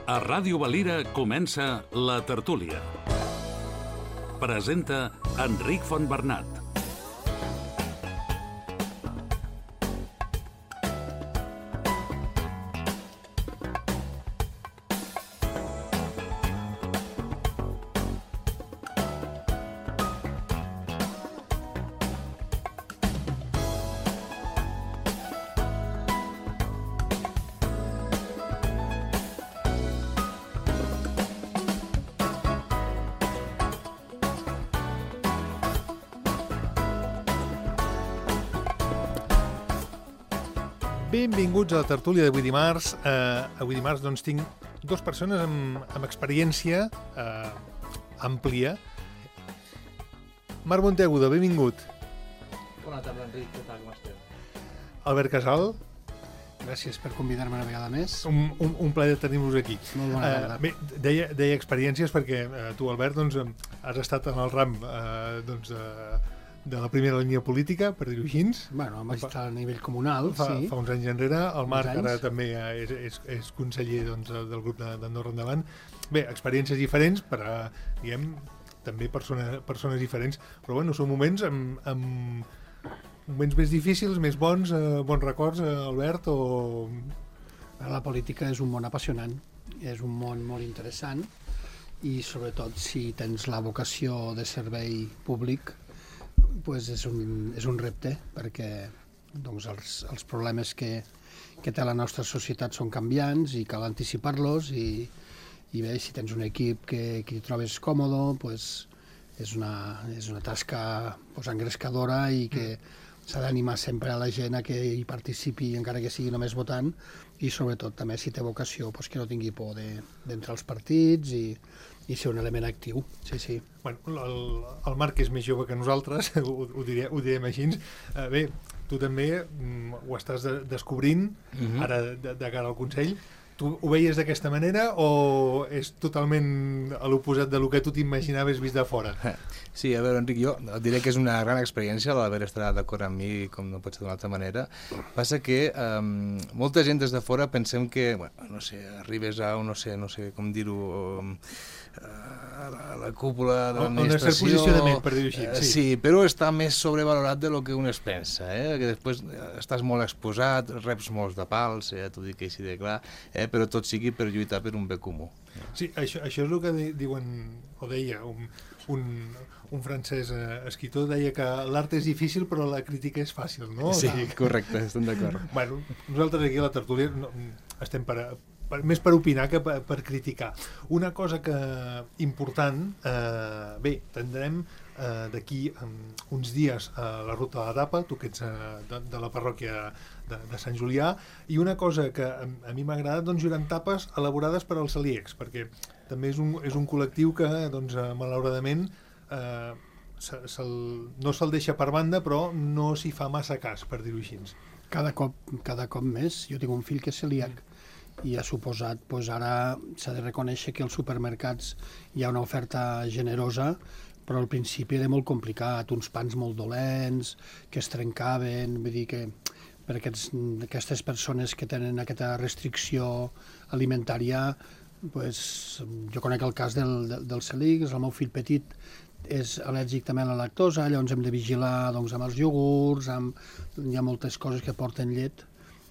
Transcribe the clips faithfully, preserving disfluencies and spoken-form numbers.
A Ràdio Valira comença La Tertúlia. Presenta Enric Fontbernat. Benvinguts a la tertúlia d'avui dimarts. Uh, avui dimarts doncs, tinc dues persones amb, amb experiència uh, àmplia. Marc Monteagudo, benvingut. Bona tarda, Enric. Què tal, com esteu? Albert Casal. Gràcies per convidar-me una vegada més. Un, un, un plaer tenir-vos aquí. Molt bona tarda. Uh, bé, deia, deia experiències perquè uh, tu, Albert, doncs, has estat en el ram uh, doncs, uh, de la primera línia política, per dir-ho així. Bueno, vaig estar a nivell comunal, fa, sí. Fa uns anys enrere. El Marc anys. ara també és, és, és conseller doncs, del grup d'Andorra Endavant. Bé, experiències diferents per a, diguem, també persona, persones diferents, però bueno, són moments amb, amb moments més difícils, més bons, eh, bons records, eh, Albert, o... La política és un món apassionant, és un món molt interessant i sobretot si tens la vocació de servei públic, pues és, un, és un repte perquè doncs, els, els problemes que, que té la nostra societat són canviants i cal anticipar-los i, i bé, si tens un equip que, que hi trobes còmode, pues, és, una, és una tasca pues, engrescadora i que s'ha d'animar sempre a la gent a que hi participi encara que sigui només votant i sobretot també si té vocació pues, que no tingui por d'entrar als partits i, i ser un element actiu, sí, sí. Bueno, el, el Marc és més jove que nosaltres, ho, ho, diré, ho direm així. Uh, bé, tu també mm, ho estàs de, descobrint, uh-huh. ara de, de cara al Consell. Tu ho veies d'aquesta manera o és totalment a l'oposat del que tu t'imaginaves vist de fora? Sí, a veure, Enric, jo et diré que és una gran experiència l'haver estat d'acord amb mi, com no pot ser d'una altra manera. Passa que um, molta gent des de fora pensem que, bueno, no sé, arribes a, no sé, no sé com dir-ho, um, a la, a la cúpula de l'administració... Un cert posicionament, per dir-ho així. Sí. sí, però està més sobrevalorat de lo que un es pensa, eh? Que després estàs molt exposat, reps molts de pals, eh? T'ho dic així de clar, eh? Però tot sigui per lluitar per un bé comú. Sí, això, això és el que diuen, o deia, un, un, un francès eh, escriptor, deia que l'art és difícil però la crítica és fàcil, no? Sí, correcte, estem d'acord. Bueno, nosaltres aquí a la tertúlia no, estem per, per, més per opinar que per, per criticar. Una cosa que important, eh, bé, tindrem eh, d'aquí um, uns dies a eh, la ruta de la Tapa, tu que ets eh, de, de la parròquia de, de Sant Julià, i una cosa que a, a mi m'ha agradat, doncs juran tapes elaborades per als celíacs, perquè també és un, és un col·lectiu que, doncs, eh, malauradament, eh, se, se no se'l deixa per banda, però no s'hi fa massa cas, per dir-ho així. Cada cop, cada cop més. Jo tinc un fill que és celíac i ha suposat, doncs ara s'ha de reconèixer que als supermercats hi ha una oferta generosa, però al principi era molt complicat, uns pans molt dolents, que es trencaven, vull dir que per aquests, aquestes persones que tenen aquesta restricció alimentària, pues, jo conec el cas del, del, del celíac, el meu fill petit és al·lèrgic també a la lactosa, llavors hem de vigilar doncs, amb els iogurts, amb, hi ha moltes coses que porten llet.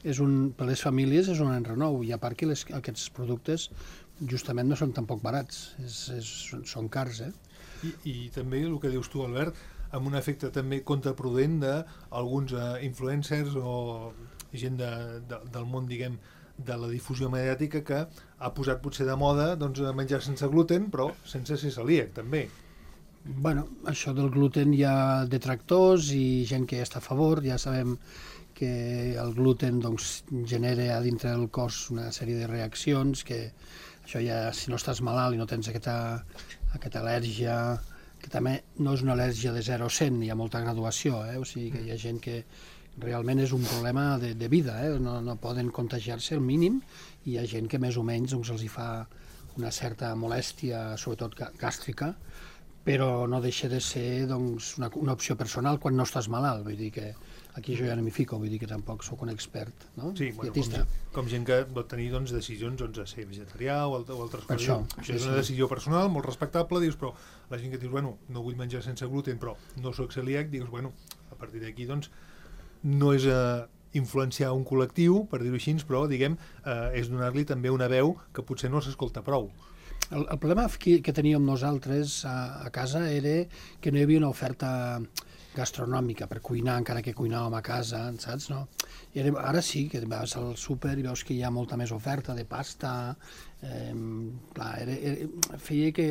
És un, per les famílies és un enrenou, i a part que les, aquests productes justament no són tampoc barats, és, és, són cars, eh? I, I també el que dius tu, Albert, amb un efecte també contraprudent d'alguns uh, influencers o gent de, de, del món, diguem, de la difusió mediàtica que ha posat potser de moda doncs, menjar sense gluten, però sense ser celíac, també. Bueno, això del gluten hi ha detractors i gent que està a favor, ja sabem que el gluten doncs, genera a dintre del cos una sèrie de reaccions que això ja, si no estàs malalt i no tens aquesta, aquesta al·lèrgia, que també no és una al·lèrgia de zero a cent, hi ha molta graduació, eh? O sigui que hi ha gent que realment és un problema de, de vida, eh? no, no poden contagiar-se al mínim, i hi ha gent que més o menys doncs, els hi fa una certa molèstia, sobretot gàstrica, però no deixa de ser doncs, una, una opció personal quan no estàs malalt, vull dir que Aquí jo ja no m'hi fico, vull dir que tampoc sóc un expert, no? Sí, bueno, Dietista. com, com gent que pot tenir doncs, decisions doncs, de ser vegetarià o, alt- o altres Per coses. això, Això sí, és una sí. decisió personal, molt respectable, dius, però la gent que dius, bueno, no vull menjar sense gluten, però no sóc celíac, dius, bueno, a partir d'aquí, doncs, no és eh, influenciar un col·lectiu, per dir-ho així, però, diguem, eh, és donar-li també una veu que potser no s'escolta prou. El, el problema que, que teníem nosaltres a, a casa era que no hi havia una oferta gastronòmica per cuinar, encara que cuinàvem a casa, saps? No? I era, ara sí, que vas al súper i veus que hi ha molta més oferta de pasta. Eh, clar, era, era, feia que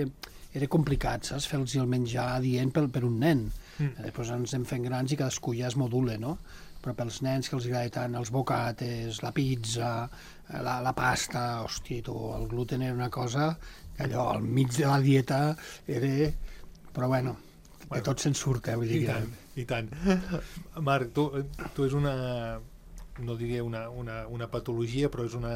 era complicat, saps? Fer-los el menjar adient per, per un nen. Mm. Després ens hem fent grans i cadascú ja es modula, no? Però pels nens que els agrada tant els bocates, la pizza, la, la pasta, hòstia, tu, el gluten era una cosa que allò al mig de la dieta era... Però bueno, de tot se'n surt, eh? Vull dir I que... tant, i tant. Marc, tu, tu és una, no diria una, una, una patologia, però és una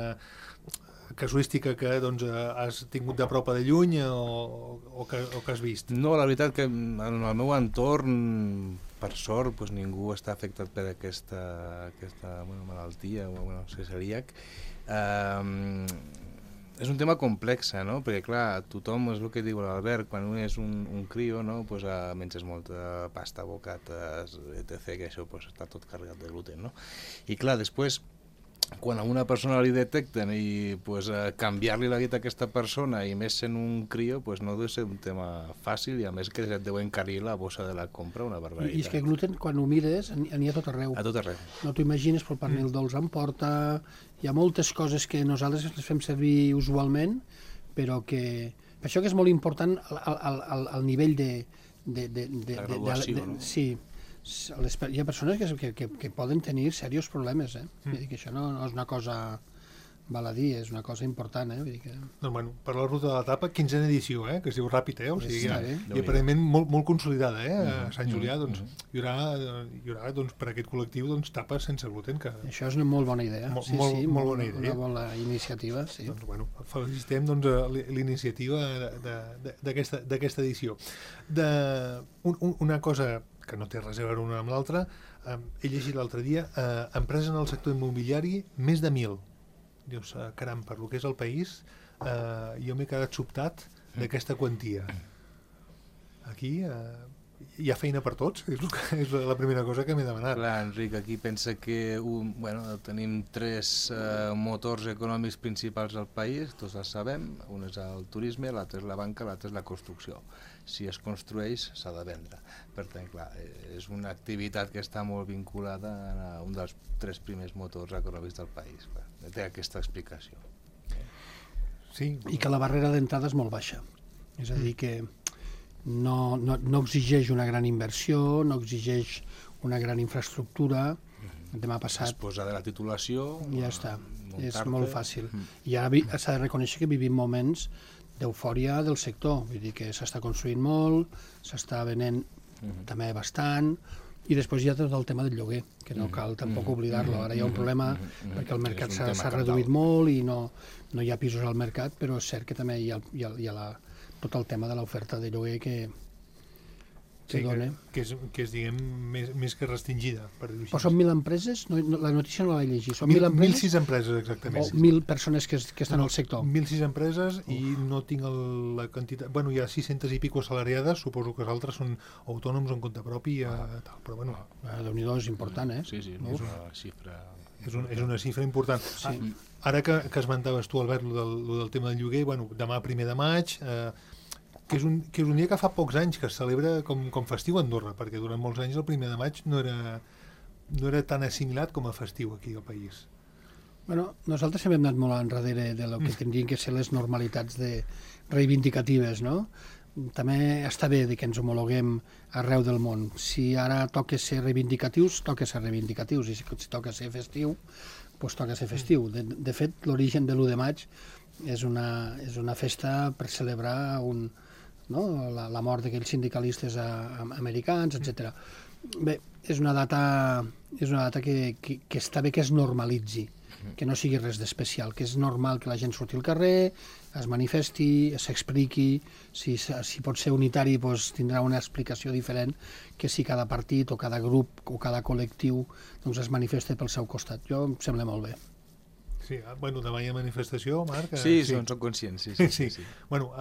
casuística que doncs, has tingut de prop o de lluny o, o, que, o que has vist? No, la veritat que en el meu entorn, per sort, doncs ningú està afectat per aquesta, aquesta bueno, malaltia, o bueno, ser celíac. Um, és un tema complex, no? Perquè clar, tothom, és el que diu l'Albert, quan un és un, un crio, no? Pues, uh, menges molta pasta, bocates, etcètera, que això pues, està tot carregat de gluten, no? I clar, després, quan a una persona li detecten i pues, uh, canviar-li la dieta a aquesta persona, i més sent un crio, pues, no deu ser un tema fàcil, i a més que et deu encarir la bossa de la compra una barbaritat. I és que gluten, quan ho mires, n'hi ha tot arreu. A tot arreu. No t'ho imagines, però el pernil dolç en porta... Hi ha moltes coses que nosaltres les fem servir usualment, però que... Per això que és molt important el, el, el, el nivell de... de, de, de, La de, graduació, de, de, no? Sí. Les, hi ha persones que, que, que, que poden tenir serios problemes, eh? Mm. Vull dir que això no, no és una cosa baladí, és una cosa important, eh? Vull dir que... Doncs, bueno, per la ruta de l'etapa, quinzena edició, eh? Que es diu ràpid, eh? O sigui, Està ja, bé. i aparentment molt, molt consolidada, eh? Mhm, A Sant Julià, mhm, doncs, hi haurà, hi haurà doncs, per aquest col·lectiu doncs, tapes sense gluten, que Això és una molt bona idea. Molt- sí, molt- sí, molt bona idea. Una bona iniciativa, sí. doncs, bueno, felicitem doncs, a la l'iniciativa de- de- d'aquesta d'aquesta edició. De, un, un, una cosa que no té res a veure una amb l'altra, eh, he llegit l'altre dia, eh, empreses en el sector immobiliari, més de mil. Dius, eh, caram, per lo que és el país, eh, jo m'he quedat sobtat d'aquesta quantia. Aquí eh, hi ha feina per tots, és, el que, és la primera cosa que m'he demanat. Clar, Enric, aquí pensa que un, bueno, tenim tres eh, motors econòmics principals al país, tots els sabem, un és el turisme, l'altre és la banca, l'altre és la construcció. Si es construeix, s'ha de vendre. Per tant, clar, és una activitat que està molt vinculada a un dels tres primers motors econòmics del país. Clar, té aquesta explicació. Sí, I que la barrera d'entrada és molt baixa. És a dir, que no, no, no exigeix una gran inversió, no exigeix una gran infraestructura. Demà Es passat posa de la titulació... ja està, és muntar-te. molt fàcil. Mm. I ara vi- s'ha de reconèixer que vivim moments d'eufòria del sector, vull dir que s'està construint molt, s'està venent Mhm. també bastant, i després hi ha tot el tema del lloguer, que no Mhm. cal tampoc Mhm. oblidar-lo. Ara hi ha un Mhm. problema Mhm. Mhm. perquè el mercat És un s'ha tema s'ha cabdal. reduït molt i no, no hi ha pisos al mercat, però és cert que també hi ha, hi ha, hi ha la, tot el tema de l'oferta de lloguer que, que sí, dona. que, que, és, que és, diguem, més, més que restringida, per dir-ho així. Però són mil empreses? No, no, la notícia no la vaig llegir. Són mil, mil mil empreses sis empreses, exactament. o mil persones que, es- que estan al sector? Mil sis empreses i no tinc el, la quantitat... Bueno, hi ha sis-centes i pico assalariades, suposo que els altres són autònoms en compte propi, eh, tal, però bueno, Ah, Déu-n'hi-do, és important, eh? Sí, sí, No? és una xifra... és, un, és una xifra important. Sí. Ah, ara que, que esmentaves tu, Albert, lo del, lo del tema del lloguer, bueno, demà primer de maig, eh, que, és un, que és un dia que fa pocs anys que es celebra com, com festiu a Andorra, perquè durant molts anys el primer de maig no era, no era tan assimilat com a festiu aquí al país. Bueno, nosaltres hem anat molt enrere de lo que tindrien que ser les normalitats de reivindicatives, no? També està bé de que ens homologuem arreu del món. Si ara toca ser reivindicatius, toca ser reivindicatius, i si, si toca ser festiu, doncs toca ser festiu. De, de fet, l'origen de l'u de maig és una, és una festa per celebrar un, no? la, la mort d'aquells sindicalistes a, a, americans, etcètera. Bé, és una data, és una data que, que, que està bé que es normalitzi. que no sigui res d'especial, que és normal que la gent surti al carrer, es manifesti, s'expliqui, si, si pot ser unitari doncs tindrà una explicació diferent que si cada partit o cada grup o cada col·lectiu doncs es manifesta pel seu costat. Jo em sembla molt bé. Sí, bueno, demà hi ha manifestació, Marc? Sí, sí. Són, són conscients, sí. sí, sí, sí. Bueno,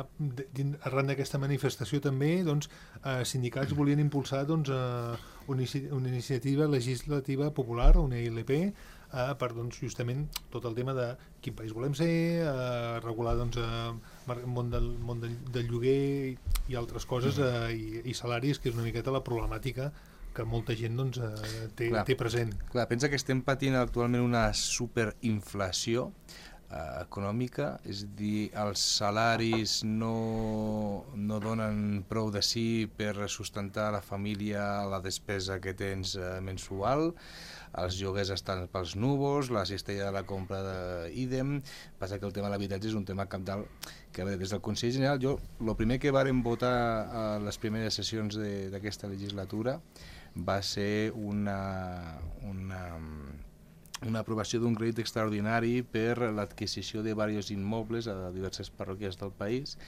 arran d'aquesta manifestació també, doncs, eh, sindicats volien impulsar doncs, eh, una, una iniciativa legislativa popular, una I L P, eh, per doncs, justament tot el tema de quin país volem ser, eh, regular doncs, eh, el món del, món del, del lloguer i, i altres coses, eh, i, i salaris, que és una miqueta la problemàtica que molta gent doncs, eh, té, clar, té present. Clar, pensa que estem patint actualment una superinflació eh, econòmica, és a dir, els salaris no, no donen prou de si per sustentar la família, la despesa que tens eh, mensual, els lloguers estan pels núvols, la cistella de la compra d'ídem. Passa que el tema de l'habitatge és un tema cabdal que, a veure, des del Consell General, jo, el primer que vàrem votar a les primeres sessions d'aquesta legislatura va ser una, una, una aprovació d'un crèdit extraordinari per l'adquisició de diversos immobles a diverses parròquies del país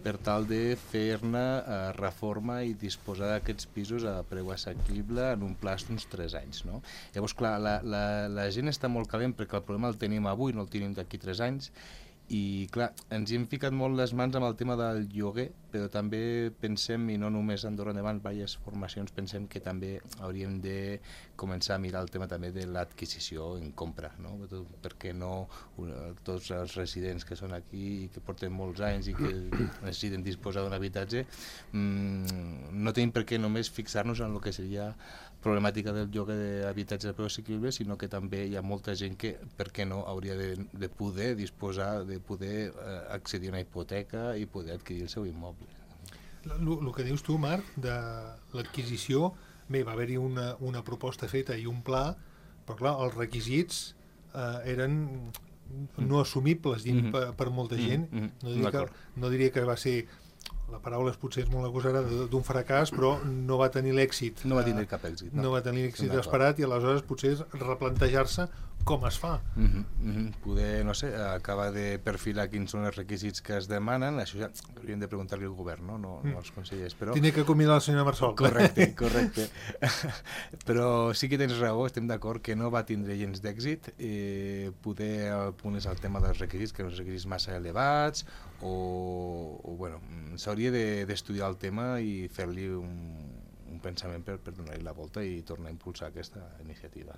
per tal de fer-ne eh, reforma i disposar d'aquests pisos a preu assequible en un plaç d'uns tres anys. No? Llavors, clar, la, la, la gent està molt calent perquè el problema el tenim avui, no el tenim d'aquí tres anys, i clar, ens hi hem ficat molt les mans amb el tema del lloguer, però també pensem, i no només a Andorra Endavant, diverses formacions, pensem que també hauríem de començar a mirar el tema també de l'adquisició en compra, no? Perquè no tots els residents que són aquí i que porten molts anys i que necessiten disposar d'un habitatge, mmm, no tenim per què només fixar-nos en el que seria problemàtica del lloguer d'habitatge de preu assequible, sinó que també hi ha molta gent que, per què no, hauria de, de poder disposar, de poder eh, accedir a una hipoteca i poder adquirir el seu immoble. El que dius tu, Marc, de l'adquisició, bé, va haver-hi una, una proposta feta i un pla, però clar, els requisits eh, eren no assumibles dins mm-hmm. per, per molta gent. Mm-hmm. No diria que, no diria que va ser... La paraula potser és molt agosarada d'un fracàs, però no va tenir l'èxit. No va tenir cap èxit. No, no va tenir l'èxit esperat i aleshores potser és replantejar-se com es fa. Mm-hmm, mm-hmm. Poder, no sé, acabar de perfilar quins són els requisits que es demanen, això ja hauríem de preguntar-li al govern, no, no, mm. no als consellers. Però... Tindré que convidar la senyora Marsol. Correcte, correcte. Però sí que tens raó, estem d'acord que no va tindre gens d'èxit. Eh, poder el punt és el tema dels requisits, que són requisits massa elevats, o, o bueno, s'hauria d'estudiar el tema i fer-li un, un pensament per, per donar-li la volta i tornar a impulsar aquesta iniciativa.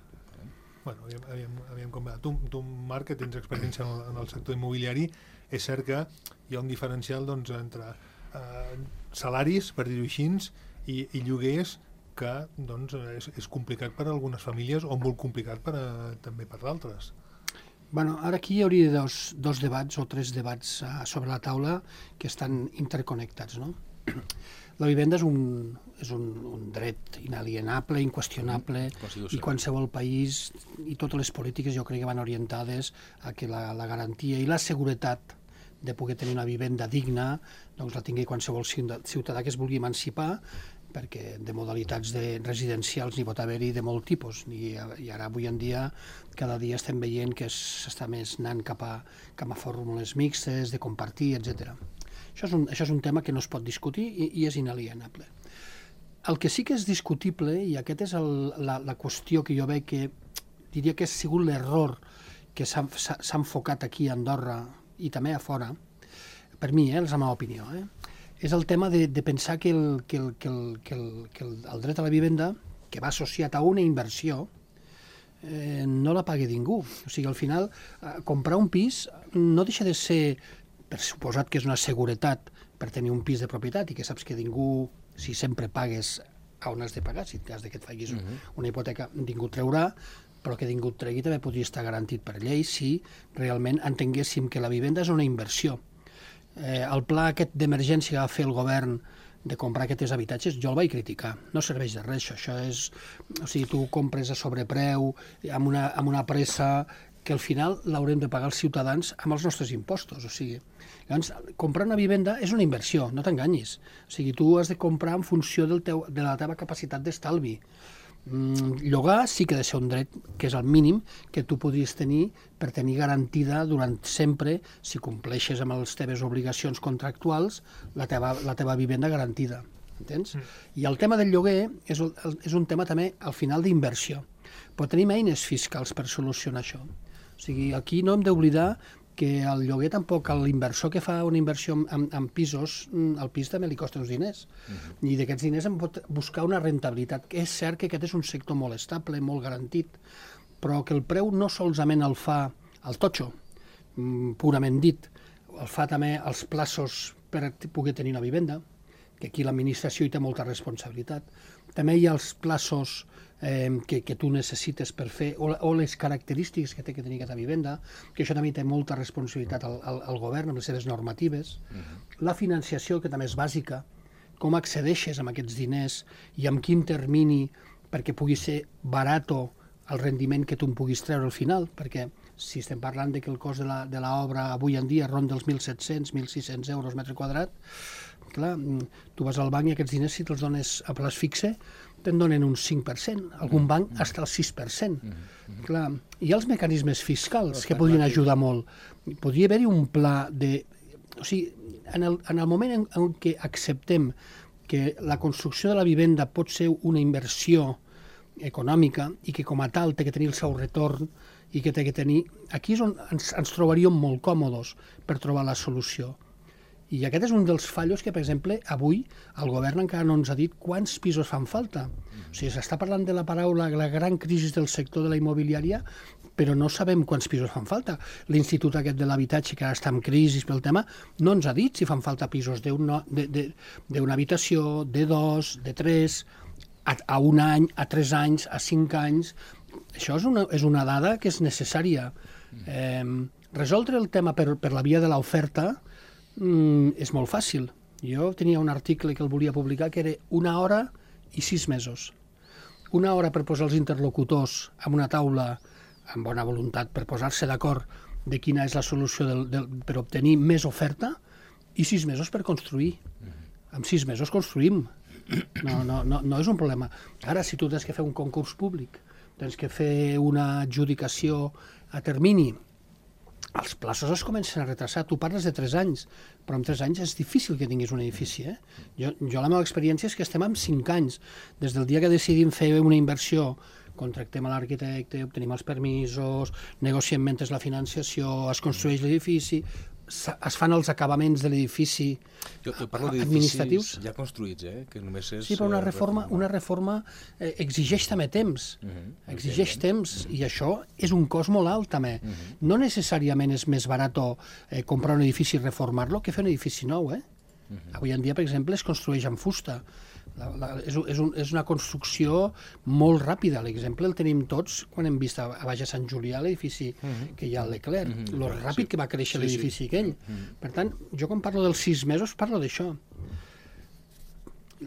Bueno, aviam, aviam, aviam com va. Tu, tu, Marc, que tens experiència en el, en el sector immobiliari, és cert que hi ha un diferencial doncs, entre eh, salaris, per dir-ho així, i, i lloguers que doncs, és, és complicat per a algunes famílies o molt complicat per a, també per d'altres. Bueno, ara aquí hi hauria dos, dos debats o tres debats uh, sobre la taula que estan interconnectats, no? La vivenda és un, és un, un dret inalienable, inqüestionable, i qualsevol país i totes les polítiques jo crec que van orientades a que la, la garantia i la seguretat de poder tenir una vivenda digna doncs la tingui qualsevol ciutadà que es vulgui emancipar, perquè de modalitats de residencials n'hi pot haver-hi de molt tipus, I, i ara avui en dia cada dia estem veient que s'està més anant cap a, cap a fórmules mixtes, de compartir, etcètera. Això és, un, això és un tema que no es pot discutir i, i és inalienable. El que sí que és discutible, i aquest és el, la, la qüestió que jo veig que diria que ha sigut l'error que s'ha enfocat aquí a Andorra i també a fora, per mi, eh, és la meva opinió, eh, és el tema de, de pensar que, el, que, el, que, el, que, el, que el, el dret a la vivenda, que va associat a una inversió, eh, no la pagui ningú. O sigui, al final, eh, comprar un pis no deixa de ser, per suposat que és una seguretat per tenir un pis de propietat i que saps que ningú, si sempre pagues a on has de pagar, si en cas que et facis uh-huh. una hipoteca, ningú treurà, però que ningú tregui també podria estar garantit per llei si realment entenguéssim que la vivenda és una inversió. Eh, el pla aquest d'emergència que va fer el govern de comprar aquests habitatges, jo el vaig criticar. No serveix de res, això. Això és... O sigui, tu compres a sobrepreu, amb una, amb una pressa que al final l'haurem de pagar els ciutadans amb els nostres impostos. O sigui, llavors, comprar una vivenda és una inversió, no t'enganyis. O sigui, tu has de comprar en funció del teu, de la teva capacitat d'estalvi. Mm, llogar sí que ha de ser un dret que és el mínim que tu podries tenir per tenir garantida durant sempre, si compleixes amb les teves obligacions contractuals, la teva, la teva vivenda garantida. Entens? Mm. I el tema del lloguer és, el, és un tema també al final d'inversió. Però tenim eines fiscals per solucionar això. O sigui, aquí no hem d'oblidar que el lloguer tampoc, l'inversor que fa una inversió en, en pisos, el pis també li costa uns diners. Uh-huh. I d'aquests diners en pot buscar una rentabilitat. És cert que aquest és un sector molt estable, molt garantit, però que el preu no solament el fa el totxo, purament dit, el fa també els plaços per poder tenir una vivenda, que aquí l'administració hi té molta responsabilitat. També hi ha els plaços eh, que, que tu necessites per fer, o, o les característiques que té que tenir aquesta vivenda, que això també té molta responsabilitat al, al, al govern amb les seves normatives. Uh-huh. La financiació, que també és bàsica, com accedeixes amb aquests diners i amb quin termini perquè pugui ser barato el rendiment que tu en puguis treure al final, perquè si estem parlant de que el cost de l'obra avui en dia ronda els mil set-cents, mil sis-cents euros metre quadrat, clar, tu vas al banc i aquests diners, si te'ls dones a plaç fixe, te'n donen un cinc per cent, algun banc hasta el sis per cent. Mm-hmm. Clar, hi ha els mecanismes fiscals que podrien ajudar molt. Podria haver-hi un pla de... O sigui, en el, en el moment en, en què acceptem que la construcció de la vivenda pot ser una inversió econòmica i que com a tal té que tenir el seu retorn i que té que tenir... Aquí és on ens, ens trobaríem molt còmodes per trobar la solució. I aquest és un dels fallos que, per exemple, avui el govern encara no ens ha dit quants pisos fan falta. O sigui, s'està parlant de la paraula, la gran crisi del sector de la immobiliària, però no sabem quants pisos fan falta. L'Institut aquest de l'habitatge, que ara està en crisi pel tema, no ens ha dit si fan falta pisos d'una habitació, de dos, de tres, a, a un any, a tres anys, a cinc anys. Això és una, és una dada que és necessària. Eh, resoldre el tema per, per la via de l'oferta Mm, és molt fàcil. Jo tenia un article que el volia publicar que era una hora i sis mesos. Una hora per posar els interlocutors en una taula amb bona voluntat per posar-se d'acord de quina és la solució del, del, per obtenir més oferta i sis mesos per construir. En sis mesos construïm. No, no, no, no és un problema. Ara, si tu tens que fer un concurs públic, tens que fer una adjudicació a termini, els plaços es comencen a retrasar. Tu parles de tres anys, però en tres anys és difícil que tinguis un edifici. Eh? Jo, jo la meva experiència és que estem en cinc anys. Des del dia que decidim fer una inversió, contractem a l'arquitecte, obtenim els permisos, negociem mentre la financiació, es construeix l'edifici, es fan els acabaments de l'edifici administratius. Ja construïts, eh? Que només és... Sí, però una reforma, una reforma eh, exigeix també temps. Uh-huh. Exigeix temps, uh-huh. I això és un cost molt alt, també. Uh-huh. No necessàriament és més barat eh, comprar un edifici i reformar-lo que fer un edifici nou, eh? Uh-huh. Avui en dia, per exemple, es construeix amb fusta. La, la, és, és, un, és una construcció molt ràpida. L'exemple el tenim tots quan hem vist a, a Baix a Sant Julià l'edifici uh-huh. que hi ha al Leclerc, uh-huh. lo ràpid sí. que va créixer sí, l'edifici sí. aquell. Uh-huh. Per tant, jo quan parlo dels sis mesos parlo d'això.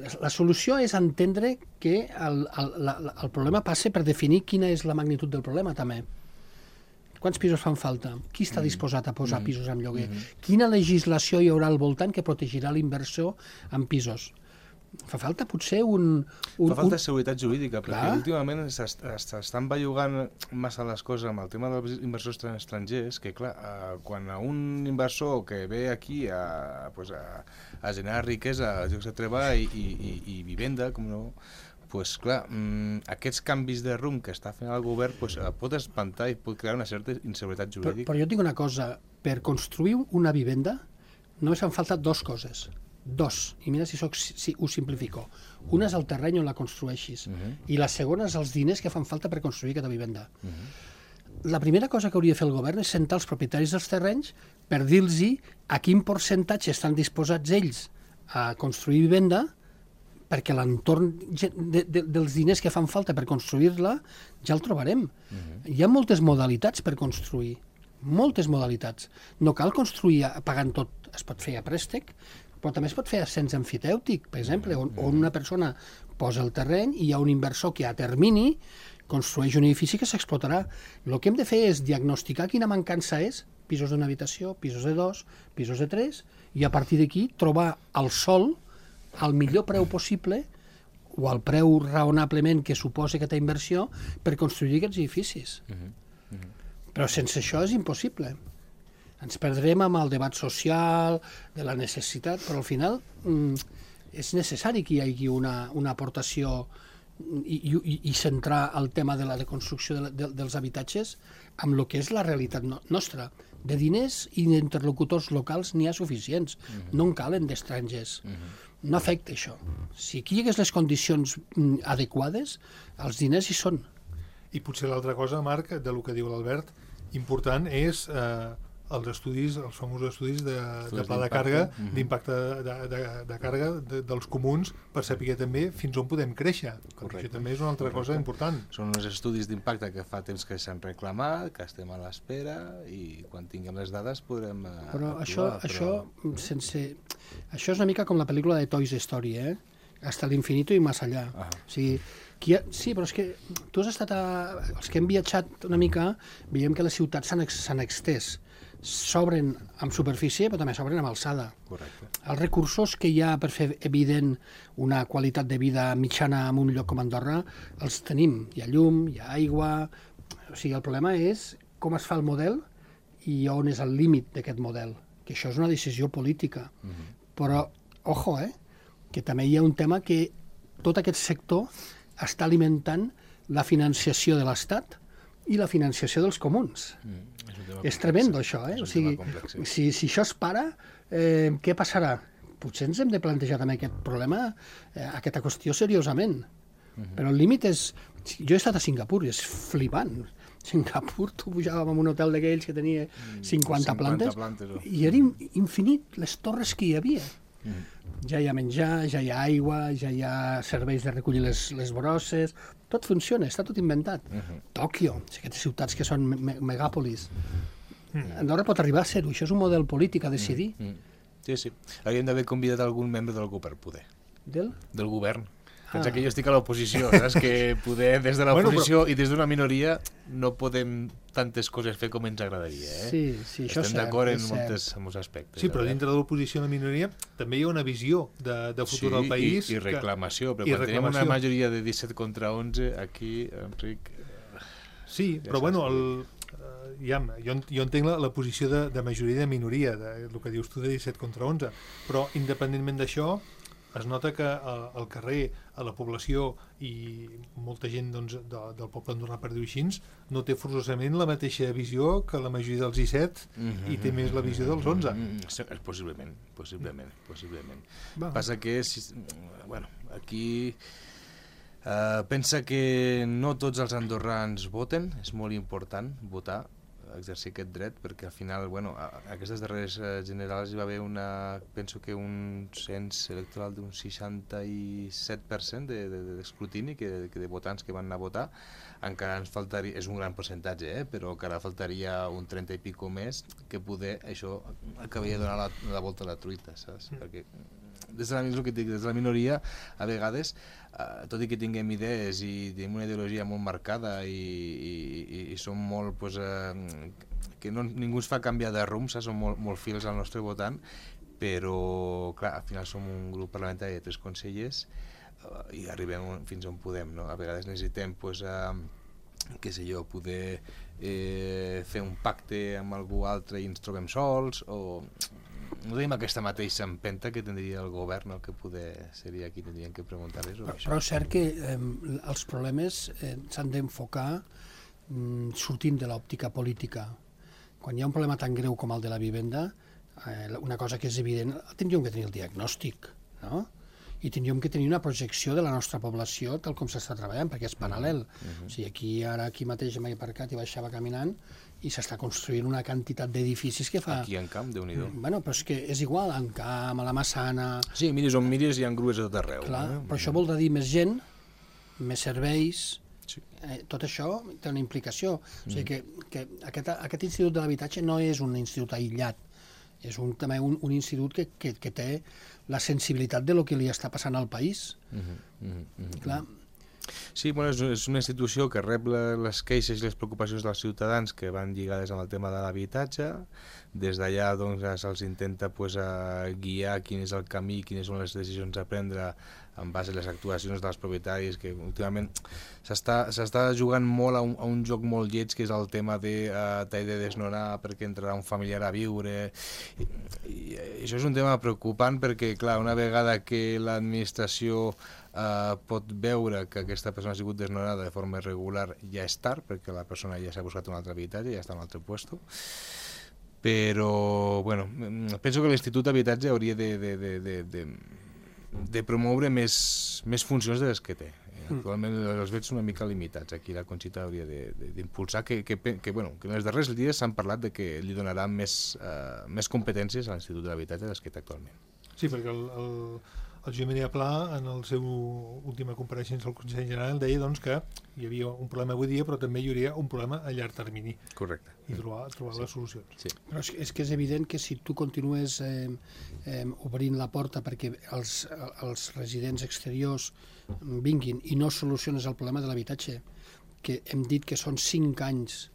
La, la solució és entendre que el, el, la, el problema passa per definir quina és la magnitud del problema també. Quants pisos fan falta? Qui està disposat a posar mm. pisos en lloguer? Mm. Quina legislació hi haurà al voltant que protegirà l'inversor en pisos? Fa falta potser un... un Fa falta un... seguretat jurídica, perquè Clar. últimament s'estan bellugant massa les coses amb el tema dels inversors estrangers, que clar, eh, quan a un inversor que ve aquí a, pues, a, a generar riquesa, llocs de treball i, i, i vivenda, com no... Pues, clar, mmm, aquests canvis de rumb que està fent el govern pues, pot espantar i pot crear una certa inseguretat jurídica. Però, però jo tinc una cosa, per construir una vivenda només fan falta dos coses. Dos, i mira si, soc, si ho simplifico. Una és el terreny on la construeixis, uh-huh. i la segona és els diners que fan falta per construir aquesta vivenda. Uh-huh. La primera cosa que hauria de fer el govern és sentar els propietaris dels terrenys per dir-los a quin percentatge estan disposats ells a construir vivenda, perquè l'entorn de, de, dels diners que fan falta per construir-la ja el trobarem. Uh-huh. Hi ha moltes modalitats per construir, moltes modalitats. No cal construir pagant tot, es pot fer a préstec, però també es pot fer a cens emfitèutic, per exemple, on, on una persona posa el terreny i hi ha un inversor que a termini construeix un edifici que s'explotarà. El que hem de fer és diagnosticar quina mancança és, pisos d'una habitació, pisos de dos, pisos de tres, i a partir d'aquí trobar al sol al millor preu possible o al preu raonablement que suposa aquesta inversió per construir aquests edificis. Uh -huh. Uh -huh. Però sense això és impossible. Ens perdrem amb el debat social, de la necessitat, però al final mm, és necessari que hi hagi una, una aportació i, i, i centrar el tema de la construcció de, de, dels habitatges amb el que és la realitat no, nostra. De diners i d'interlocutors locals n'hi ha suficients, uh-huh. no en calen d'estrangers. Uh-huh. No afecta això. Si aquí hi hagués les condicions mm, adequades, els diners hi són. I potser l'altra cosa, Marc, de lo que diu l'Albert, important és eh, els estudis, els famosos estudis de, de pla de càrrega, uh-huh. d'impacte de, de, de càrrega de, dels comuns, per saber també fins on podem créixer. Correcte. Això també és una altra Correcte. cosa important. Són uns estudis d'impacte que fa temps que s'han reclamat, que estem a l'espera, i quan tinguem les dades podrem Però actuar, això, però... això, sense... això és una mica com la pel·lícula de Toy Story, eh? Hasta l'infinito i més allà. Ah. O sigui, ha... sí, però és que tu has estat a... Els que hem viatjat una mica, veiem que les ciutats s'han ex... extès. S'obren amb superfície, però també s'obren amb alçada. Correcte. Els recursos que hi ha per fer evident una qualitat de vida mitjana en un lloc com Andorra, els tenim. Hi ha llum, hi ha aigua... O sigui, el problema és com es fa el model i on és el límit d'aquest model. Que això és una decisió política. Uh-huh. Però, ojo, eh, que també hi ha un tema que tot aquest sector està alimentant la financiació de l'Estat i la financiació dels comuns. Mm, és és tremendo, això, eh? O sigui, si, si això es para, eh, què passarà? Potser ens hem de plantejar també aquest problema, eh, aquesta qüestió seriosament. Mm-hmm. Però el límit és... Jo he estat a Singapur i és flipant. Singapur, tu pujàvem en un hotel d'aquells que tenia cinquanta, cinquanta plantes, plantes oh. i era infinit les torres que hi havia. Mm. Ja hi ha menjar, ja hi ha aigua, ja hi ha serveis de recollir les, les brosses, tot funciona, està tot inventat. Uh-huh. Tòquio, aquestes ciutats que són me megàpolis. Mm. Andorra pot arribar a ser-ho, això és un model polític a decidir. Mm. Mm. Sí, sí. Hauríem d'haver convidat algun membre del govern, poder. Del? Del govern. Pensa ah. que jo estic a l'oposició, saps? Que poder, des de l'oposició bueno, però... i des d'una minoria no podem tantes coses fer com ens agradaria, eh? Sí, sí, això Estem d'acord en moltes, en molts aspectes. Sí, però dintre de l'oposició i la minoria també hi ha una visió de, de futur sí, del país. I, i reclamació, que... però i quan reclamació. Tenim una majoria de disset contra onze, aquí, Enric... Sí, ja però bueno, el... Ja, jo, jo entenc la, la posició de, de majoria i de minoria, de, el que dius tu de disset contra onze, però independentment d'això, es nota que a, al carrer, a la població i molta gent doncs, de, del poble andorrà, per dir-ho així, no té forçosament la mateixa visió que la majoria dels disset mm-hmm. i té més la visió dels onze. Mm-hmm. Possiblement, possiblement, possiblement. Va. Passa que, si, bueno, aquí eh, pensa que no tots els andorrans voten, és molt important votar, exercir aquest dret, perquè al final, bueno, a, a aquestes darreres uh, generals hi va haver una, penso que un cens electoral d'un seixanta-set per cent d'escrutini de, de, de, que de votants que van anar a votar. Encara ens faltaria, és un gran percentatge, eh, però encara faltaria un trenta i pico més que poder, això acabaria de donar la, la volta a la truita, saps? Mm. Perquè des de la, que dic, des de la minoria, a vegades, eh, tot i que tinguem idees i tenim una ideologia molt marcada i, i, i som molt, pues, eh, que no, ningú ens fa canviar de rumb, saps? Som molt, molt fils al nostre votant, però, clar, al final som un grup parlamentari de tres consellers eh, i arribem fins on podem, no? A vegades necessitem, pues, eh, què sé jo, poder eh, fer un pacte amb algú altre i ens trobem sols, o... No tenim aquesta mateixa empenta que tindria el govern, el que poder seria qui tindrien que preguntar-les. Però, però és cert que eh, els problemes eh, s'han d'enfocar mm, sortint de l'òptica política. Quan hi ha un problema tan greu com el de la vivenda, eh, una cosa que és evident, tindríem que tenir el diagnòstic, no? I tindríem que tenir una projecció de la nostra població tal com s'està treballant, perquè és paral·lel. Uh-huh. O sigui, aquí, ara aquí mateix m'he aparcat i baixava caminant i s'està construint una quantitat d'edificis que fa... Aquí en Camp, Déu-n'hi-do. Bueno, però és que és igual, en Camp, a la Massana... Sí, miris on miris hi ha grues a tot arreu. Clar, eh? Però això vol dir més gent, més serveis... Sí. Eh, tot això té una implicació. Mm. O sigui que, que aquest, aquest institut de l'habitatge no és un institut aïllat, és un, també un, un institut que, que, que té la sensibilitat de lo que li està passant al país. Mm-hmm, mm-hmm. Clar. Sí, bueno, és, és una institució que rep les queixes i les preocupacions dels ciutadans que van lligades amb el tema de l'habitatge. Des d'allà doncs, se'ls intenta pues, a guiar quin és el camí, quines són les decisions a prendre en base a les actuacions dels propietaris, que últimament s'està jugant molt a un, a un joc molt lleig, que és el tema de uh, t'he de desnonar perquè entrarà un familiar a viure. I, i, i això és un tema preocupant perquè, clar, una vegada que l'administració uh, pot veure que aquesta persona ha sigut desnonada de forma irregular, ja és tard, perquè la persona ja s'ha buscat un altre habitatge, ja està en un altre puesto. Però, bueno, penso que l'Institut d'Habitatge hauria de, de, de, de, de, de promoure més, més funcions de les que té. Actualment els veig una mica limitats. Aquí la Conxita hauria d'impulsar que, que, que, bueno, que en els darrers dies s'han parlat de que li donarà més, uh, més competències a l'Institut de l'Habitatge des que té actualment. Sí, perquè el, el, el Josep Maria Pla, en la seva última compareixença al Consell General, deia doncs, que hi havia un problema avui dia, però també hi hauria un problema a llarg termini. Correcte. I trobar, trobar sí. les solucions. Sí. Però és, és que és evident que si tu continues eh, eh, obrint la porta perquè els, els residents exteriors vinguin i no soluciones el problema de l'habitatge, que hem dit que són cinc anys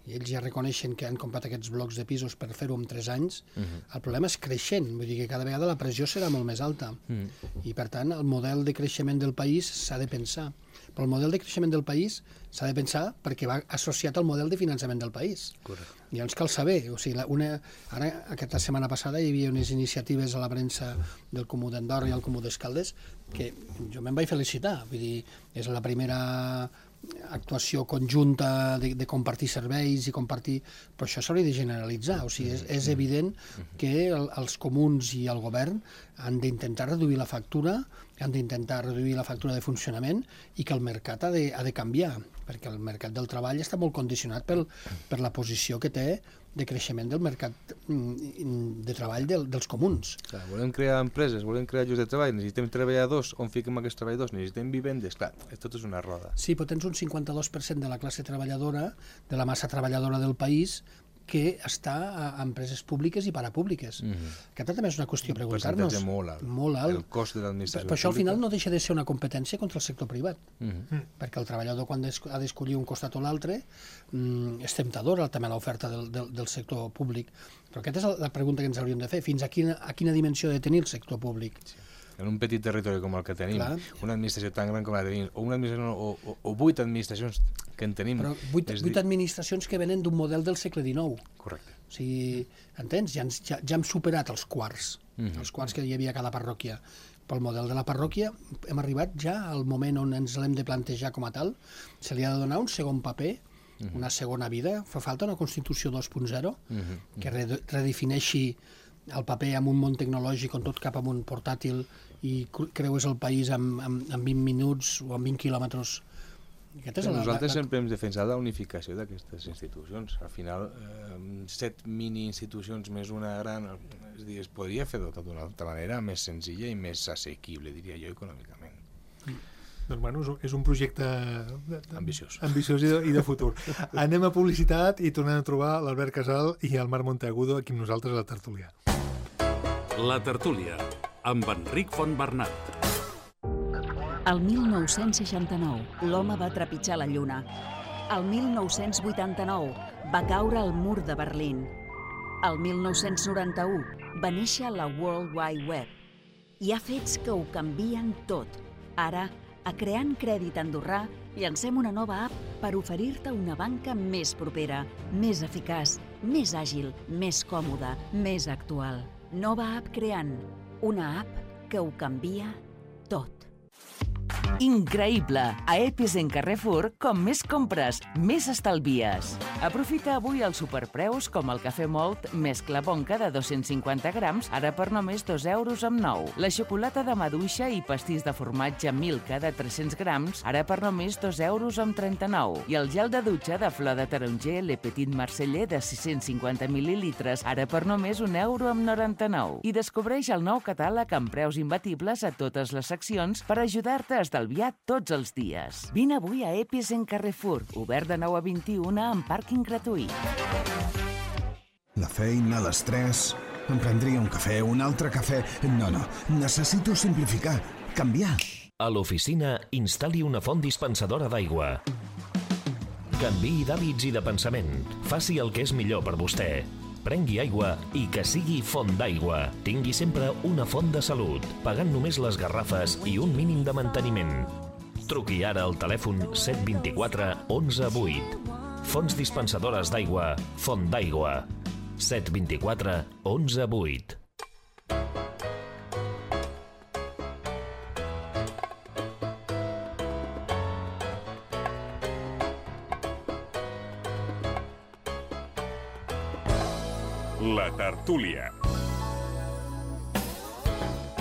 i ells ja reconeixen que han comprat aquests blocs de pisos per fer-ho en tres anys, uh-huh. el problema és creixent, vull dir que cada vegada la pressió serà molt més alta. Uh-huh. I per tant el model de creixement del país s'ha de pensar. Però el model de creixement del país s'ha de pensar perquè va associat al model de finançament del país. Correcte. I llavors cal saber, o sigui, una, ara aquesta setmana passada hi havia unes iniciatives a la premsa del Comú d'Andorra i el Comú d'Escaldes que jo me'n vaig felicitar, vull dir, és la primera actuació conjunta de, de compartir serveis i compartir, però això s'hauria de generalitzar, o sigui, és, és evident que el, els comuns i el govern han d'intentar reduir la factura, han d'intentar reduir la factura de funcionament i que el mercat ha de, ha de canviar, perquè el mercat del treball està molt condicionat pel, per la posició que té de creixement del mercat de treball del, dels comuns. Clar, volem crear empreses, volem crear llocs de treball, necessitem treballadors, on fiquem aquests treballadors? Necessitem vivendes? Clar, tot és una roda. Sí, però tens un cinquanta-dos per cent de la classe treballadora, de la massa treballadora del país, que està a empreses públiques i parapúbliques. Mm-hmm. Aquesta també és una qüestió a preguntar-nos. Percentatge molt alt. Molt alt. El cost de l'administració però això al final no deixa de ser una competència contra el sector privat. Mm-hmm. Perquè el treballador quan ha d'escollir un costat o l'altre és temptadora també l'oferta del, del, del sector públic. Però aquesta és la pregunta que ens hauríem de fer. Fins a quina, a quina dimensió ha de tenir el sector públic? Sí. En un petit territori com el que tenim, clar. Una administració tan gran com la tenim, o una administració o, o, o vuit administracions que en tenim... Però vuit, vuit dir... administracions que venen d'un model del segle dinou. Correcte. O sigui, entens? Ja, ja, ja hem superat els quarts, mm-hmm. els quarts que hi havia a cada parròquia. Pel model de la parròquia hem arribat ja al moment on ens l'hem de plantejar com a tal. Se li ha de donar un segon paper, mm-hmm. una segona vida. Fa falta una Constitució dos punt zero mm-hmm. que redefineixi el paper amb un món tecnològic on tot cap amb un portàtil i creues el país en, en, en vint minuts o en vint quilòmetres. És la, Nosaltres la, la... sempre hem defensat la unificació d'aquestes institucions. Al final, eh, set mini-institucions més una gran... És dir, es podria fer d'una tota altra manera més senzilla i més assequible, diria jo, econòmicament. Mm. Doncs, bueno, és un projecte ambiciós, ambiciós i, de, i de futur. Anem a publicitat i tornem a trobar l'Albert Casal i el Marc Monteagudo aquí amb nosaltres a la tertúlia. La tertúlia, amb Enric Fontbernat. El mil nou-cents seixanta-nou, l'home va trepitjar la lluna. El mil nou-cents vuitanta-nou, va caure el mur de Berlín. El mil nou-cents noranta-u, va néixer la World Wide Web. Hi ha fets que ho canvien tot. Ara, a Creant Crèdit Andorrà, llancem una nova app per oferir-te una banca més propera, més eficaç, més àgil, més còmoda, més actual. Nova app Creant, una app que ho canvia tot. Increïble! A Epis en Carrefour, com més compres, més estalvies. Aprofita avui els superpreus com el cafè Molt mescla bonca de dos-cents cinquanta grams, ara per només dos euros amb nou. La xocolata de maduixa i pastís de formatge Milka de tres-cents grams, ara per només dos euros amb trenta-nou. I el gel de dutxa de flor de taronger Le Petit Marseller de sis-cents cinquanta mil·lilitres, ara per només un euro amb noranta-nou. I descobreix el nou catàleg amb preus imbatibles a totes les seccions per ajudar-te a estalviar tots els dies. Vine avui a Epis en Carrefour, obert de nou a vint-i-una amb pàrquing gratuït. La feina, l'estrès... Em prendria un cafè, un altre cafè... No, no, necessito simplificar, canviar. A l'oficina, instal·li una font dispensadora d'aigua. Canviï d'hàbits i de pensament. Faci el que és millor per vostè. Prengui aigua i que sigui font d'aigua. Tingui sempre una font de salut, pagant només les garrafes i un mínim de manteniment. Truqui ara al telèfon set dos quatre onze vuit. Fonts dispensadores d'aigua, Font d'Aigua. set dos quatre onze vuit. La tertúlia.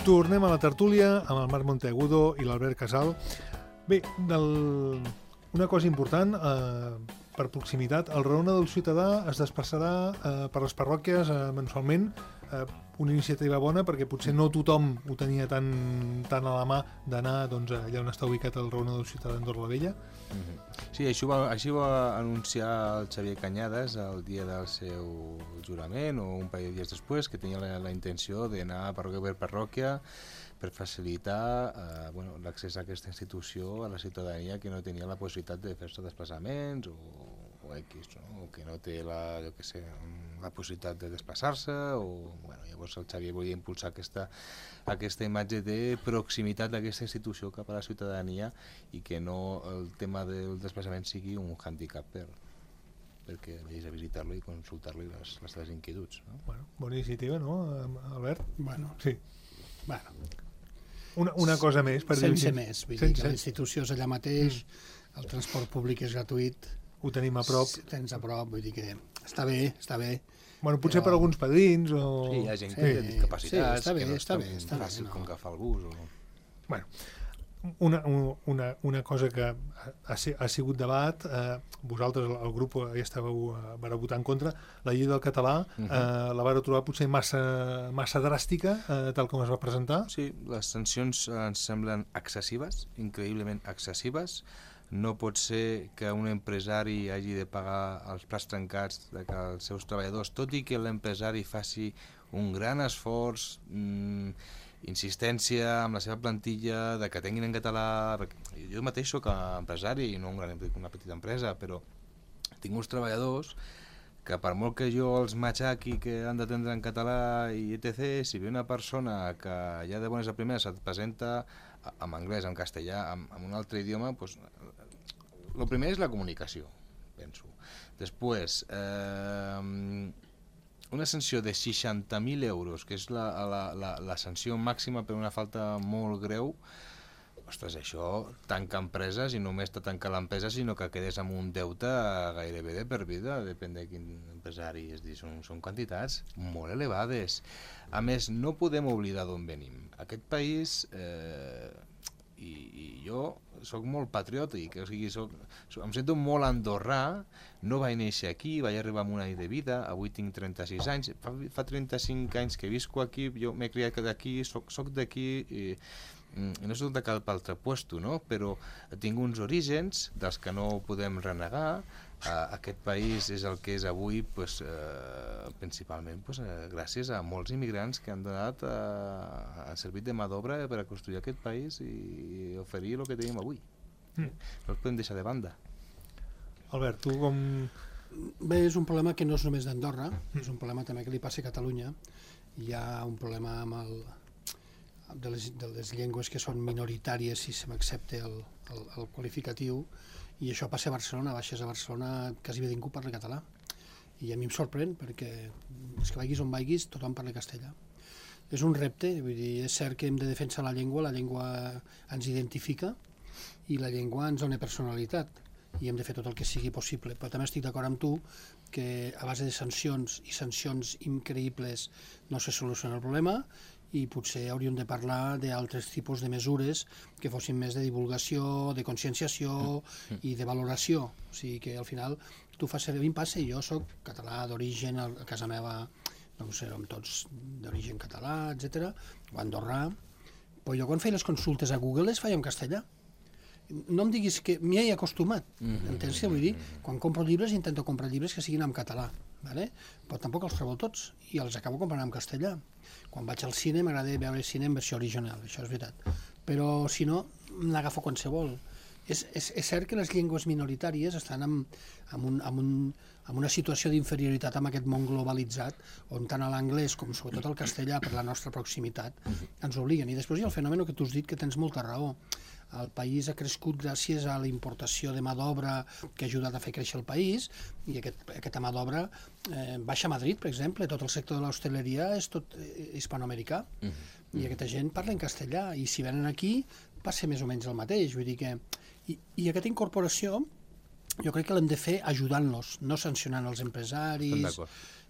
Tornem a la tertúlia amb el Marc Monteagudo i l'Albert Casal. Bé, del... una cosa important, eh, per proximitat, el Raona del Ciutadà es desplaçarà eh, per les parròquies eh, mensualment, eh, una iniciativa bona perquè potser no tothom ho tenia tan, tan a la mà d'anar doncs, allà on està ubicat el Raona del Ciutadà d'Andorra la Vella. Mm-hmm. Sí, això va, així va anunciar el Xavier Cañadas el dia del seu jurament o un parell de dies després, que tenia la, la intenció d'anar parròquia per parròquia per facilitar eh, bueno, l'accés a aquesta institució a la ciutadania que no tenia la possibilitat de fer-se desplaçaments o, o X, no? O que no té la, jo que sé, la possibilitat de desplaçar-se o, bueno, llavors el Xavier volia impulsar aquesta, aquesta imatge de proximitat d'aquesta institució cap a la ciutadania i que no el tema del desplaçament sigui un hàndicap per, perquè vegis a visitar-lo i consultar-li les, les seves inquietuds. No? Bueno, bona iniciativa, no, Albert? Bueno, sí. Bueno. Una, una cosa més. Per sense dir més, vull sense... dir que la institució és allà mateix, mm. el transport públic és gratuït. Ho tenim a prop. Tens a prop, vull dir que està bé, està bé. Bueno, potser però... per alguns padrins o... Sí, hi ha gent sí, que té discapacitats, sí, bé, que no és tan bé, fàcil bé, com no. agafar el bus. O... Bueno, una, una, una cosa que ha, ha sigut debat, eh, vosaltres, el grup, ja estàveu, vareu votar en contra, la llei del català, uh -huh. eh, la vareu trobar potser massa, massa dràstica, eh, tal com es va presentar? Sí, les sancions ens semblen excessives, increïblement excessives. No pot ser que un empresari hagi de pagar els plats trencats de que els seus treballadors, tot i que l'empresari faci un gran esforç, mmm, insistència amb la seva plantilla, de que tinguin en català... Jo mateix soc empresari i no un gran, una petita empresa, però tinc uns treballadors que per molt que jo els matxaqui que han d'atendre en català i etcètera, si ve una persona que ja de bones a primeres et presenta en anglès, en castellà, en, en un altre idioma, doncs, el primer és la comunicació, penso. Després, eh, una sanció de seixanta mil euros, que és la, la, la, la sanció màxima per una falta molt greu. Ostres, això tanca empreses i només te tanca l'empresa, sinó que quedes amb un deute gairebé de per vida, depèn de quin empresari, és dir, són, són quantitats molt elevades. A més, no podem oblidar d'on venim. Aquest país, eh, i, i jo soc molt patriòtic, o sigui, soc, soc, em sento molt andorrà, no vaig néixer aquí, vaig arribar amb un any de vida, avui tinc trenta-sis anys, fa, fa trenta-cinc anys que visco aquí, jo m'he criat d'aquí, soc, soc d'aquí, i, i no soc de cap altre puesto, no? Però tinc uns orígens dels que no podem renegar. Uh, aquest país és el que és avui, pues, uh, principalment pues, uh, gràcies a molts immigrants que han donat uh, servit de mà d'obra per a construir aquest país i oferir el que tenim avui. Mm. No els podem deixar de banda. Albert, tu com... Bé, és un problema que no és només d'Andorra, mm. és un problema també que li passa a Catalunya. Hi ha un problema amb el... De les, de les llengües que són minoritàries, si se m'accepta el, el, el qualificatiu, i això passa a Barcelona, baixes a Barcelona, quasi bé ningú parla català. I a mi em sorprèn, perquè és que vagis on vagis, tothom parla castellà. És un repte, vull dir, és cert que hem de defensar la llengua, la llengua ens identifica i la llengua ens dona personalitat, i hem de fer tot el que sigui possible. Però també estic d'acord amb tu que a base de sancions i sancions increïbles no se soluciona el problema, i potser hauríem de parlar d'altres tipus de mesures que fossin més de divulgació, de conscienciació i de valoració. O sigui que al final tu fas servir, em passa, i jo soc català d'origen, a casa meva no sé, som tots d'origen català, etcètera, o andorrà, però jo quan feia les consultes a Google les feia en castellà. No em diguis que m'hi he acostumat, entens què vull dir? Quan compro llibres intento comprar llibres que siguin en català, vale? Però tampoc els trobo tots i els acabo comprant en castellà. Quan vaig al cine m'agrada veure el cine en versió original, això és veritat. Però si no, n'agafo qualsevol. És, és, és cert que les llengües minoritàries estan en, en, un, en, un, en una situació d'inferioritat amb aquest món globalitzat, on tant l'anglès com sobretot el castellà, per la nostra proximitat, ens obliguen. I després hi ha el fenomen que tu has dit, que tens molta raó. El país ha crescut gràcies a la importació de mà d'obra que ha ajudat a fer créixer el país, i aquest, aquesta mà d'obra eh, baixa a Madrid, per exemple. Tot el sector de l'hostaleria és tot eh, hispanoamericà, uh-huh. i aquesta gent parla en castellà, i si venen aquí passa més o menys el mateix. Vull dir que... I, i aquesta incorporació jo crec que l'hem de fer ajudant-los, no sancionant els empresaris.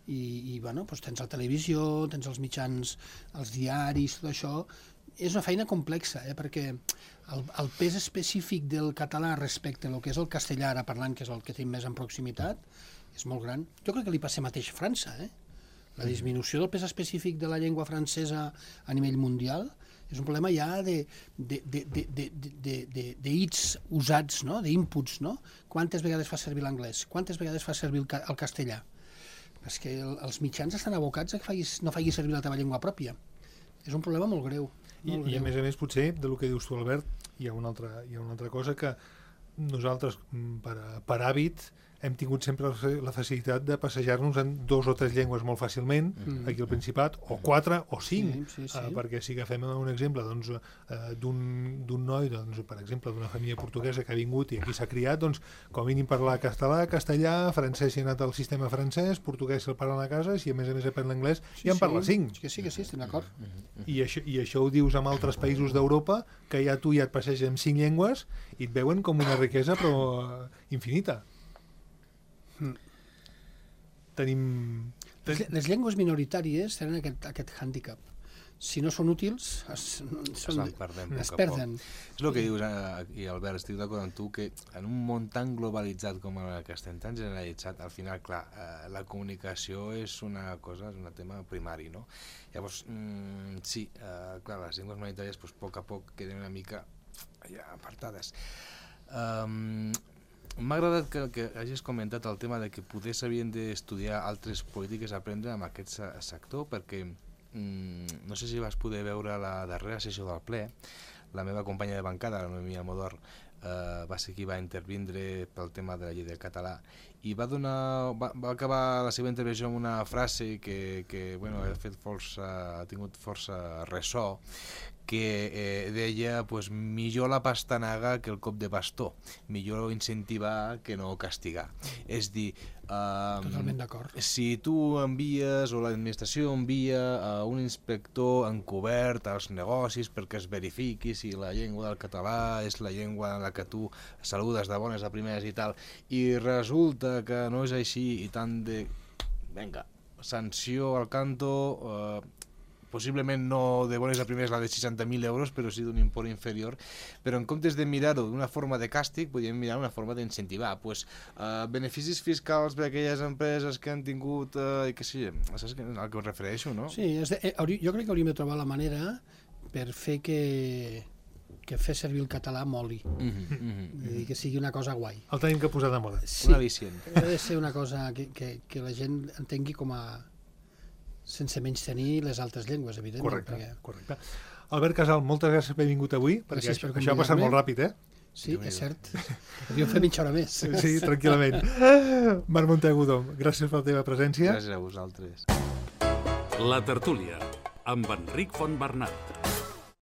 I, i bueno, doncs tens la televisió, tens els mitjans, els diaris, tot això. És una feina complexa, eh? Perquè el, el pes específic del català respecte al que és el castellà, ara parlant, que és el que tenim més en proximitat, és molt gran. Jo crec que li passa mateix a França, eh? La disminució del pes específic de la llengua francesa a nivell mundial és un problema ja de, de, de, de, de, de, de, de hits usats, no? D'inputs, no? Quantes vegades fa servir l'anglès? Quantes vegades fa servir el, el castellà? És que el, els mitjans estan abocats a que facis, no facis servir la teva llengua pròpia. És un problema molt greu. I, I a més a més, potser, del que dius tu, Albert, hi ha una altra, hi ha una altra cosa que nosaltres, per, per hàbit, hem tingut sempre la facilitat de passejar-nos en dos o tres llengües molt fàcilment, mm. aquí al Principat, o quatre o cinc, sí, sí, sí. Uh, perquè si agafem un exemple doncs, uh, d'un noi, doncs, per exemple, d'una família portuguesa que ha vingut i aquí s'ha criat, doncs, com a mínim parlar català, castellà, francès si ha anat al sistema francès, portuguès si el parlen a casa, si a més a més aprèn l'anglès, sí, ja en parla sí. cinc. Sí, que sí, que sí, estic d'acord. I això, I això ho dius amb altres països d'Europa, que ja tu ja et passeges amb cinc llengües i et veuen com una riquesa però uh, infinita. Mm. Tenim... Les, les llengües minoritàries tenen aquest, aquest hàndicap. Si no són útils, es, són, es, perdem, es perden. És el que dius, i Albert, estic d'acord amb tu, que en un món tan globalitzat com el que estem, tan generalitzat, al final, clar, eh, la comunicació és una cosa, és un tema primari, no? Llavors, mm, sí, eh, clar, les llengües minoritàries, doncs, a poc a poc queden una mica ja apartades. Um, M'ha agradat que, que hagis comentat el tema de que poder s'havien d'estudiar altres polítiques a aprendre amb aquest sector, perquè mm, no sé si vas poder veure la darrera sessió del ple. La meva companya de bancada, la Noemí Almodóvar, eh, va ser qui va intervindre pel tema de la llei del català i va donar, va, va acabar la seva intervenció amb una frase que, que bueno, ha fet força, ha tingut força ressò, que eh, deia pues, millor la pastanaga que el cop de bastó, millor incentivar que no castigar. És dir, um, totalment d'acord. Si tu envies o l'administració envia a un inspector encobert als negocis perquè es verifiqui si la llengua del català és la llengua en la que tu saludes de bones a primeres i tal, i resulta que no és així i tant de... Vinga, sanció al canto... Eh, possiblement no de bones a primeres la de seixanta mil euros, però sí d'un import inferior, però en comptes de mirar-ho d'una forma de càstig, podríem mirar una forma d'incentivar, pues, eh, beneficis fiscals per a aquelles empreses que han tingut, eh, que sí, saps al que us refereixo, no? Sí, és de, eh, jo crec que hauríem de trobar la manera per fer que, que fer servir el català moli, mm-hmm, mm-hmm. que sigui una cosa guai. El tenim que posar de moda. Sí, un al·licient. Ha de ser una cosa que, que, que la gent entengui com a... sense menys tenir les altres llengües, evidentment. Correcte, perquè... correcte. Albert Casal, moltes gràcies per haver vingut avui, perquè per això ha passat molt ràpid, eh? Sí, és cert. Podríem fer mitja hora més. Sí, tranquil·lament. Marc Monteagudo, gràcies per la teva presència. Gràcies a vosaltres. La tertúlia, amb Enric Fontbernat.